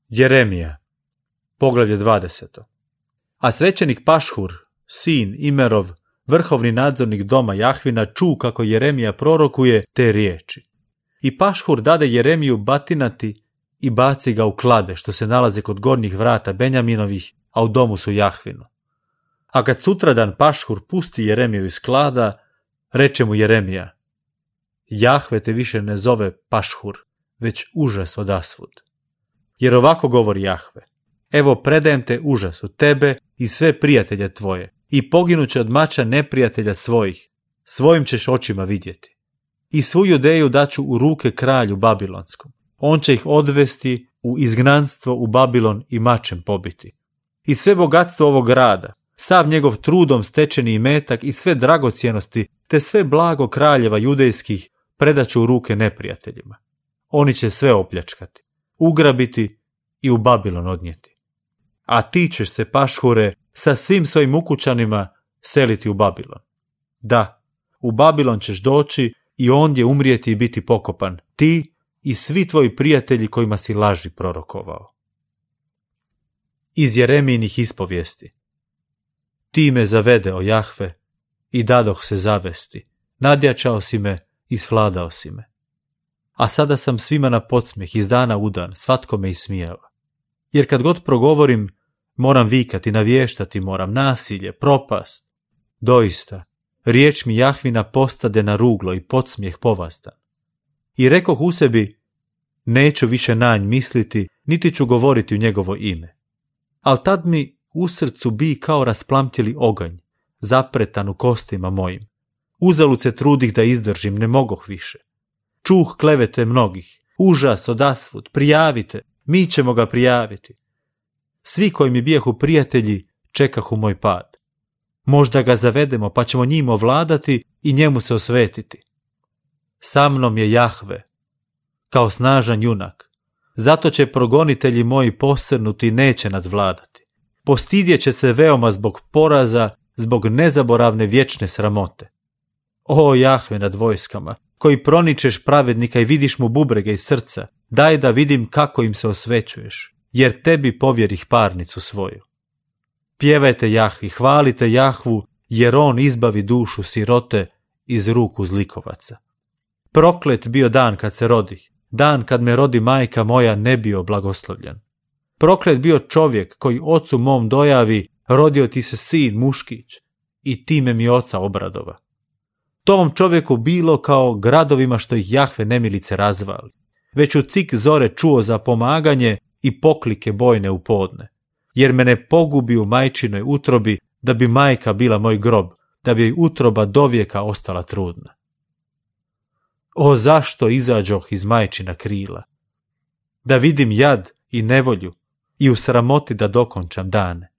Jeremija, poglavlje 20. A svećenik Pašhur, sin Imerov, vrhovni nadzornik doma Jahvina, ču kako Jeremija prorokuje te riječi. I Pašhur dade Jeremiju batinati i baci ga u klade, što se nalaze kod gornjih vrata Benjaminovih, a u domu su Jahvinu. A kad sutradan Pašhur pusti Jeremiju iz klada, reče mu Jeremija: Jahve te više ne zove Pašhur, već užas odasvud. Jer ovako govori Jahve: evo predajem te užasu, tebe i sve prijatelje tvoje, i poginuće od mača neprijatelja svojih, svojim ćeš očima vidjeti. I svu Judeju daću u ruke kralju Babilonskom. On će ih odvesti u izgnanstvo u Babilon i mačem pobiti. I sve bogatstvo ovog grada, sav njegov trudom stečeni imetak i sve dragocjenosti, te sve blago kraljeva judejskih predaću u ruke neprijateljima. Oni će sve opljačkati, ugrabiti i u Babilon odnijeti. A ti ćeš se, Pašhure, sa svim svojim ukućanima seliti u Babilon. Da, u Babilon ćeš doći i ondje umrijeti i biti pokopan, ti i svi tvoji prijatelji kojima si laži prorokovao. Iz Jeremijinih ispovijesti. Ti me zavede, o Jahve, i dadoh se zavesti, nadjačao si me i svladao si me. A sada sam svima na podsmijeh, iz dana u dan, svatko me ismijava. Jer kad god progovorim, moram vikati, navještati moram, nasilje, propast. Doista, riječ mi Jahvina postade na ruglo i podsmijeh povastan. I rekoh u sebi, neću više na nj misliti, niti ću govoriti u njegovo ime. Al tad mi u srcu bi kao rasplamtjeli oganj, zapretan u kostima mojim. Uzalud se trudih da izdržim, ne mogoh više. Čuh klevete mnogih, užas odasvud, prijavite, mi ćemo ga prijaviti. Svi koji mi bijahu prijatelji čekahu moj pad. Možda ga zavedemo, pa ćemo njim ovladati i njemu se osvetiti. Sa mnom je Jahve, kao snažan junak. Zato će progonitelji moji posrnuti i neće nadvladati. Postidjet će se veoma zbog poraza, zbog nezaboravne vječne sramote. O Jahve nad vojskama, koji proničeš pravednika i vidiš mu bubrege iz srca, daj da vidim kako im se osvećuješ, jer tebi povjerih parnicu svoju. Pjevajte Jahvi, hvalite Jahvu, jer on izbavi dušu sirote iz ruku zlikovaca. Proklet bio dan kad se rodih, dan kad me rodi majka moja ne bio blagoslovljen. Proklet bio čovjek koji ocu mom dojavi, rodio ti se sin muškić i time mi oca obradova. Tom čovjeku bilo kao gradovima što ih Jahve nemilice razvali. Već u cik zore čuo za pomaganje i poklike bojne u podne. Jer me ne pogubi u majčinoj utrobi, da bi majka bila moj grob, da bi joj utroba dovijeka ostala trudna. O, zašto izađoh iz majčina krila? Da vidim jad i nevolju i u sramoti da dokončam dane.